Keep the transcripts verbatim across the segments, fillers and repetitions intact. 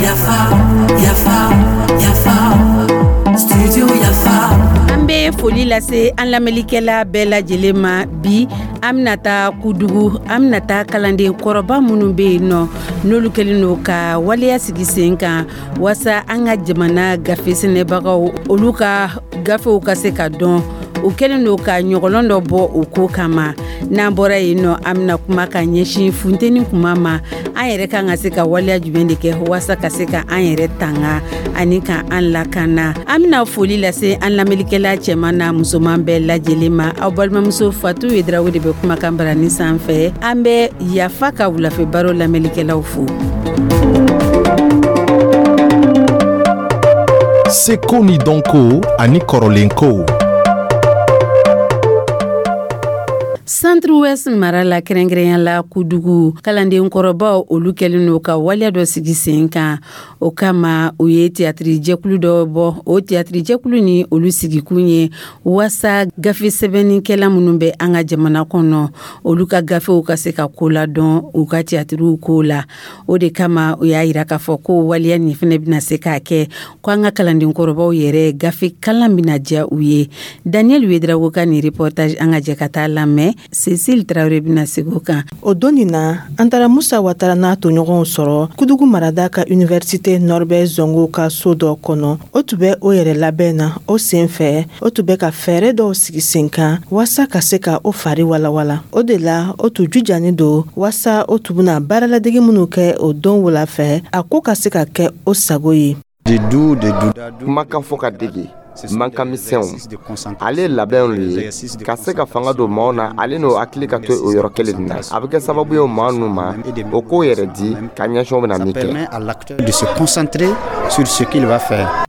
Yafa, yafa, yafa, studio Yafa. An bɛ foli lase an lamɛnlikɛla bɛɛ lajɛlen ma. Bi, an bɛna taa Kudugu, an bɛna taa kalanden kɔrɔba minnu bɛ yen nɔ, n'olu kɛlen don ka waleya sigi sen kan waasa an ka jamana gafe sɛnɛbagaw, olu ka gafew ka se ka dɔn. U kɛlen don ka ɲɔgɔlɔn dɔ bɔ o ko kama. N'an bɔra yen nɔ, an bɛna kuma ka ɲɛsin funteni kuma ma. An yɛrɛ kan ka se ka waleya jumɛn de kɛ waasa ka se ka an yɛrɛ tanga ani ka an lakana? An bɛna foli lase an lamɛnlikɛla cɛman n'a musoman bɛɛ lajɛlen ma. Aw balimamuso Fatu Yedrawo de bɛ kumakan barani sanfɛ. An bɛ Yafa ka wulafɛ baro lamɛnlikɛlaw fo. Seko ni dɔnko ani kɔrɔlenkow. Centre Ouest mara la, kɛrɛnkɛrɛnya la Kudugu, kalanden kɔrɔbaw, olu kɛlen don ka waleya dɔ sigi sen kan. O kama, u ye tiyatiri jɛkulu dɔ bɔ. O tiyatiri jɛkulu ni olu sigikun ye waasa gafe sɛbɛnnikɛla minnu bɛ an ka jamana kɔnɔ, olu ka gafew ka se ka ko ladɔn u ka tiyatiriw ko la. O de kama, u y'a yira k'a fɔ ko waleya nin fɛnɛ bɛna se k'a kɛ ko an ka kalanden kɔrɔbaw yɛrɛ, gafe kalan bɛna diya u ye. Daniel Wedrago ka nin reportage, an ka jɛ ka taa lamɛn. Cécile Traoré bɛna segin o kan. O don nin na, an taara Musa Watara n'a toɲɔgɔnw sɔrɔ Kudugu marada ka Université Norbert Zongo ka so dɔ kɔnɔ. O tun bɛ o yɛrɛ labɛn na. O sen fɛ, o tun bɛ ka fɛɛrɛ dɔw sigi sen kan waasa ka se ka o fari walawala. O de la, o tun jujani don waasa o tun bɛna baaraladege minnu kɛ o don wula fɛ, a ko ka se ka kɛ o sago ye. Kumakan fɔ ka dege mankan misɛnw, ale ye labɛnw le ye ka se ka fanga don maaw na, ale n'o hakili ka to o yɔrɔ kelen na. A bɛ kɛ sababu ye maa ninnu ma, o k'o yɛrɛ di ka ɲɛsin o bɛna min kɛ. De se concentrer sur ce qu'il va faire.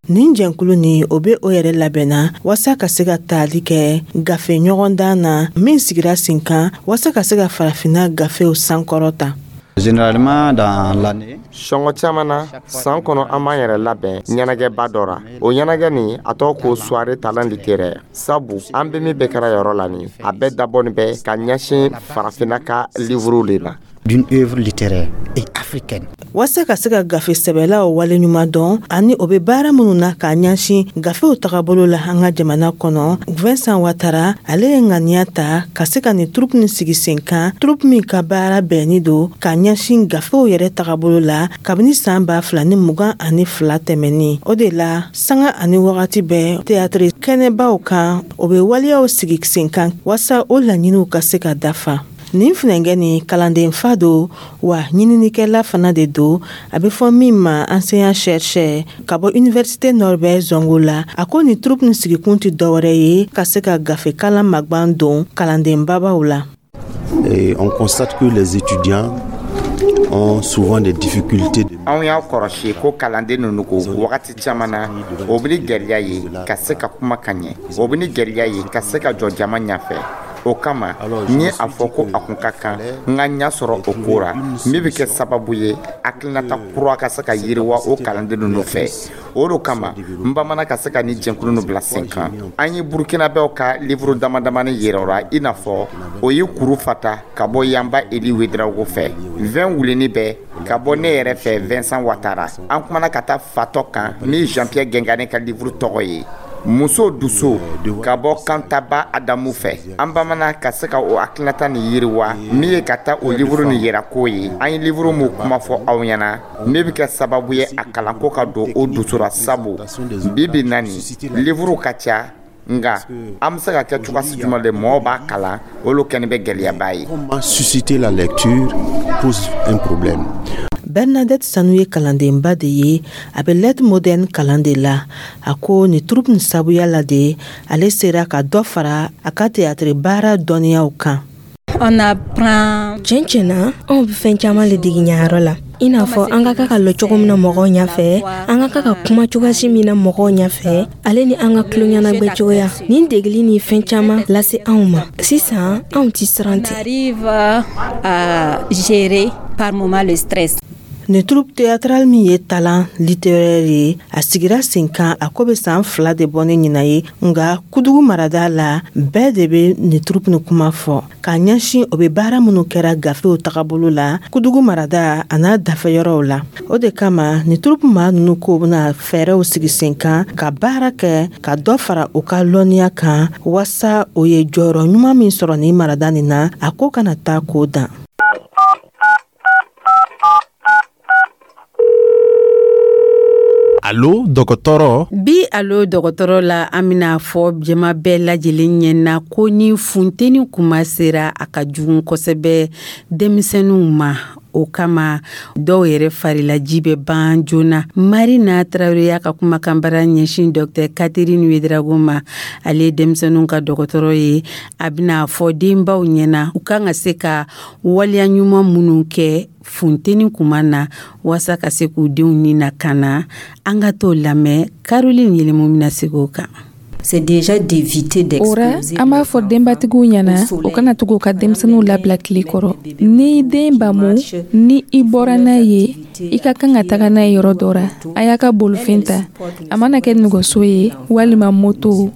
Nin jɛnkulu ni o bɛ o yɛrɛ labɛnna waasa ka se ka taali kɛ gafe ɲɔgɔndan na min sigira sen kan waasa ka se ka farafinna gafew sankɔrɔta. Généralement, dans l'année, Sɔngɔ caman na, san kɔnɔ, an b'an yɛrɛ labɛn ɲɛnajɛba dɔ ra. O ɲɛnajɛ nin, a tɔgɔ ko Soirée Talent Littéraire, sabu an bɛ min bɛɛ kɛra yɔrɔ la nin, a bɛɛ dabɔni bɛ ka ɲɛsin farafinna ka livre le ma. d'une œuvre littéraire et africaine. Waasa ka se ka gafe sɛbɛlaw waleɲuman dɔn ani o bɛ baara minnu na k'a ɲɛsin gafew tagabolo la an ka jamana kɔnɔ, Vincent Watara, ale ye ŋaniya ta ka se ka nin troupe nin sigi sen kan, troupe min ka baara bɛnni don k'a ɲɛsin gafew yɛrɛ tagabolo la kabini saan ba fila ni mugan ani fila tɛmɛnin. O de la, sanga ani wagati bɛɛ, théâtre kɛnɛbaw kan, o bɛ waleyaw sigi sen kan waasa o laɲiniw ka se ka dafa. Nin funɛnkɛ nin, kalanden fa don wa ɲininikɛla fana de don, a bɛ fɔ min ma enseignant chercheur ka bɔ Université Norbert Zongo la. A ko nin troupe nin sigikun tɛ dɔwɛrɛ ye ka se ka gafe kalan magban don kalanden babaw la. Et on constate que les étudiants ont souvent des difficultés de Anw y'a kɔrɔsi ko kalanden ninnu ko wagati caman na, o bɛ ni gɛlɛya ye ka se ka kuma ka ɲɛ, o bɛ ni gɛlɛya ye ka se ka jɔ jama ɲɛfɛ. O kama, n ye a fɔ ko a kun ka kan n ka ɲɛ sɔrɔ o ko ra min bɛ kɛ sababu ye hakilinata kura ka se ka yiriwa o kalanden ninnu fɛ. O de kama, n bamana ka se ka ni jɛnkulu ninnu bila sen kan. An ye Burkinabɛw ka livre dama damani yira o la, i n'a fɔ o ye Kuru Fata ka bɔ Yanba Eli Wedrago fɛ, Vingt wuleni bɛ ka bɔ ne yɛrɛ fɛ, Vincent Watara. An kumana ka taa fatɔ kan ni Jean Pierre Gengane ka livre tɔgɔ ye Muso Dusu ka bɔ Kantaba Adamu fɛ. An bamana ka se ka o hakilinata nin yiriwa min ye ka taa o livre nin yira ko ye an ye livre mun kuma fɔ aw ɲɛna min bɛ kɛ sababu ye a kalanko ka don o dusu ra, sabu bi bi na nin, livre ka ca, nka an bɛ se ka kɛ cogoya jumɛn de mɔgɔw b'a kalan, olu kɛni bɛ gɛlɛyaba ye. Comment susciter la lecture pose un problème. Bernadette Sanu ye kalandenba de ye, a bɛ lettre moderne kalan de la. A ko nin troupe nin sabuya la de, ale sera ka dɔ fara a ka théâtre baara dɔnniyaw kan. On apprend. Tiɲɛ tiɲɛ na, anw bɛ fɛn caman le degi ɲayɔrɔ la, i n'a fɔ an ka kan ka lɔ cogo min na mɔgɔw ɲɛfɛ, an ka kan ka kuma cogoyasi min na mɔgɔw ɲɛfɛ, ale ni an ka tulo ɲɛnagwɛ cogoya. Nin degeli ni fɛn caman lase anw ma. Sisan, anw ti siran On ten. arrive à gérer par moment le stress. Nin troupe théâtrale min ye talent littéraire ye, a sigira sen kan a ko bɛ san fila de bɔ ni ɲinan ye, nka Kudugu marada la, bɛɛ de bɛ nin troupe ni kuma fɔ k'a ɲɛsin o bɛ baara minnu kɛra gafew tagabolo la Kudugu marada a n'a dafɛyɔrɔw la. O de kama nin troupe maa ninnu ko bɛna fɛɛrɛw sigi sen kan ka baara kɛ ka dɔ fara u ka lɔnniya kan, waasa o ye jɔyɔrɔ ɲuman min sɔrɔ nin marada nin na, a ko kana taa k'o dan. Alo dɔgɔtɔrɔ. Bi alo dɔgɔtɔrɔ la, an bɛna fɔ jama bɛɛ lajɛlen ɲɛna ko ni funteni kuma sera, a ka jugu kosɛbɛ denmisɛnninw ma. O kama dɔw yɛrɛ farilaji bɛ ban joona. Marina Tarawele y'a ka kumakanbara ɲɛsin Docteur Catherine Ouedraogo ma, ale ye denmisɛnninw ka dɔgɔtɔrɔ ye. A bɛna fɔ denbaw ɲɛna u kan ka se ka waleya ɲuman minnu kɛ funteni kuma na waasa ka se k'u denw ni lakana. An ka t'o lamɛn, Caroline Yelemu bɛna segin o kan. C'est déjà d'éviter O ra, an b'a fɔ denbatigiw ɲɛna o kana tugu ka denmisɛnninw labila tile kɔrɔ. Ni den bamu, ni i bɔra n'a ye, i ka kan ka taga n'a ye yɔrɔ dɔ ra, a y'a ka bolifɛn ta, a mana kɛ nɛgɛso ye walima moto,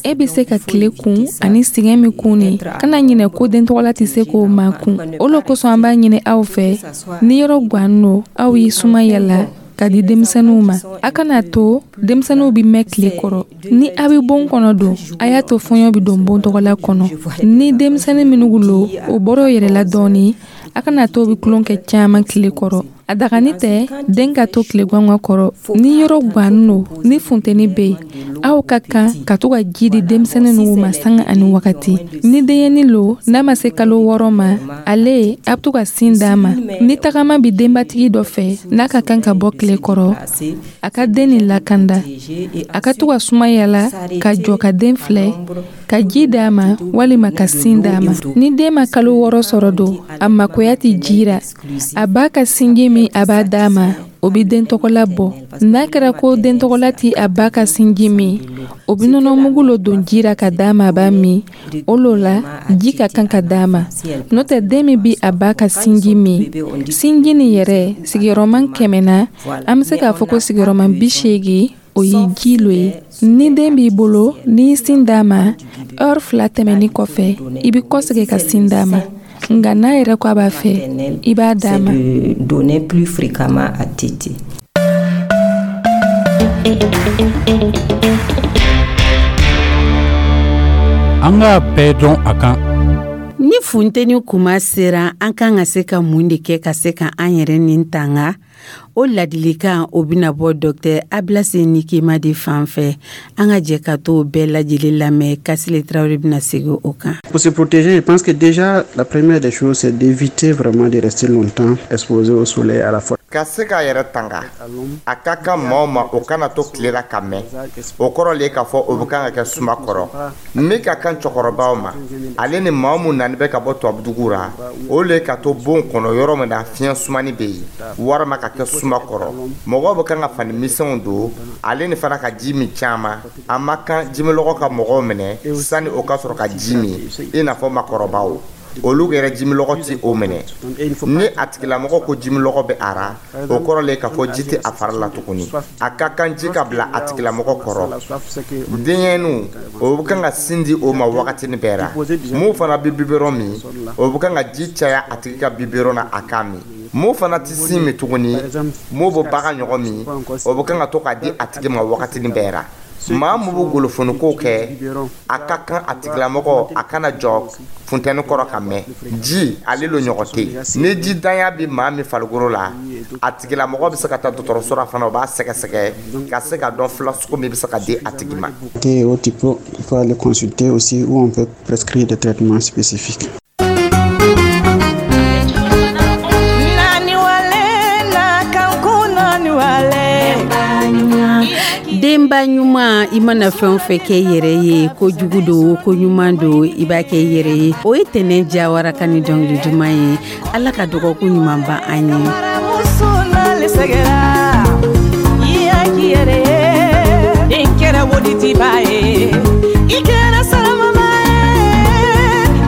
e bɛ se ka tile kun ani sɛgɛn min kun ni kana ɲinɛ ko den tɔgɔla tɛ se k'o makun. O lo kosɔn an b'a ɲini aw fɛ, ni yɔrɔ gwannen don, aw y'i suma yala ka di denmisɛnninw ma. A kana to denmisɛnninw bɛ mɛn tile kɔrɔ. Ni a bɛ bon kɔnɔ don, a y'a to fɔɲɔ bɛ don bon tɔgɔla kɔnɔ. Ni denmisɛnnin minnu lo o bɔra o yɛrɛ la dɔɔni, a kana to bɛ tulon kɛ caman tile kɔrɔ. A dagani tɛ den ka to tile gwangan kɔrɔ. Ni yɔrɔ gwannen don, ni funteni bɛ yen, aw ka kan ka to ka ji di denmisɛnnin ninnu ma sanga ani wagati. Ni denyɛnin lo n'a ma se kalo wɔɔrɔ ma, ale a bɛ to ka sin d'a ma. Ni tagama bɛ denbatigi dɔ fɛ n'a ka kan ka bɔ tile kɔrɔ, a ka den nin lakanda, a ka to ka suma yala ka jɔ ka den filɛ, ka ji d'a ma walima ka sin d'a ma. Ni den ma kalo wɔɔrɔ sɔrɔ don, a makoya tɛ ji ra. A ba ka sinji min a b'a d'a ma, o bɛ den tɔgɔla bɔ. N'a kɛra ko den tɔgɔla tɛ a ba ka sinji min, o bɛ nɔnɔmugu lo don ji ra ka d'a ma, a b'a min. O lo la ji ka kan ka d'a ma. N'o tɛ, den min bɛ a ba ka sinji min, sinji nin yɛrɛ sigiyɔrɔma kɛmɛ na, an bɛ se k'a fɔ ko sigiyɔrɔma bi seegin o ye ji lo ye. Ni den b'i bolo, n'i ye sin d'a ma, heure fila tɛmɛnin kɔfɛ, i bɛ kɔsegin ka sin d'a ma. Nka n'a yɛrɛ ko a b'a fɛ, i b'a d'a ma. Donner plus fréquemment à téter. An k'a bɛɛ dɔn a kan. Ni funteni kuma sera, an kan ka se ka mun de kɛ ka se ka an yɛrɛ nin tanga? O ladilikan o bɛna bɔ Docteur Abilase Nikema de fan fɛ. An ka jɛ ka t'o bɛɛ lajɛlen lamɛn. Kasile Tarawele bɛna segin o kan. Pour se protéger, je pense que déjà la première des choses, c'est d'éviter vraiment de rester longtemps exposé au soleil à la fois. Ka se k'a yɛrɛ tanga, a ka kan maaw ma o kana to tile la ka mɛn. O kɔrɔ le k'a fɔ o bɛ kan ka kɛ suma kɔrɔ. Min ka kan cɛkɔrɔbaw ma, ale ni maa mun nani bɛ ka bɔ tubabudugu ra, o le ka to bon kɔnɔ yɔrɔ min na fiɲɛ sumani bɛ yen, walima ka kɛ suma kɔrɔ. Mɔgɔw bɛ kan ka fani misɛnw don, ale ni fana ka ji min caman. A ma kan jimilɔgɔ ka mɔgɔw minɛ sani o ka sɔrɔ ka ji min, i n'a fɔ makɔrɔbaw, olu yɛrɛ jimilɔgɔ ti o minɛ. Ni a tigilamɔgɔ ko jimilɔgɔ bɛ a ra, o kɔrɔ le k'a fɔ ji tɛ a fari la tuguni. A ka kan ji ka bila a tigilamɔgɔ kɔrɔ. Denyɛrɛninw, o bɛ kan ka sin di o ma wagatinin bɛɛ ra. Mun fana bɛ biberon min, o bɛ kan ka ji caya a tigi ka biberon na a k'a min. Mun fana tɛ sin min tuguni, mun bɛ bagan ɲɔgɔn min, o bɛ kan ka to k'a di a tigi ma wagatinin bɛɛ ra. Maa mun bɛ golofoniko kɛ, a ka kan a tigilamɔgɔ a kana jɔ funtɛni kɔrɔ ka mɛn. Ji ale lo ɲɔgɔn tɛ yen. Ni ji danya bɛ maa min farikolo la, a tigilamɔgɔ bɛ se ka taa dɔgɔtɔrɔso la fana, o b'a sɛgɛsɛgɛ ka se ka dɔn furasugu min bɛ se ka di a tigi ma. Et au type, il faut aller consulter aussi où on peut prescrire des traitements spécifiques. Denba ɲuman, i mana fɛn o fɛn kɛ i yɛrɛ ye, ko jugu don, ko ɲuman don, i b'a kɛ i yɛrɛ ye. O ye Tɛnɛn Jawara ka ni dɔnkili duman ye. Ala ka dɔgɔkun ɲuman ban an ye. I kɛra salamama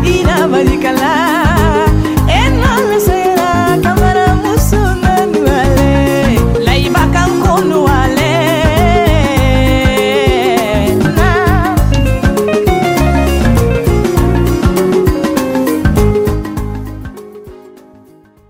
ye, i na barika la.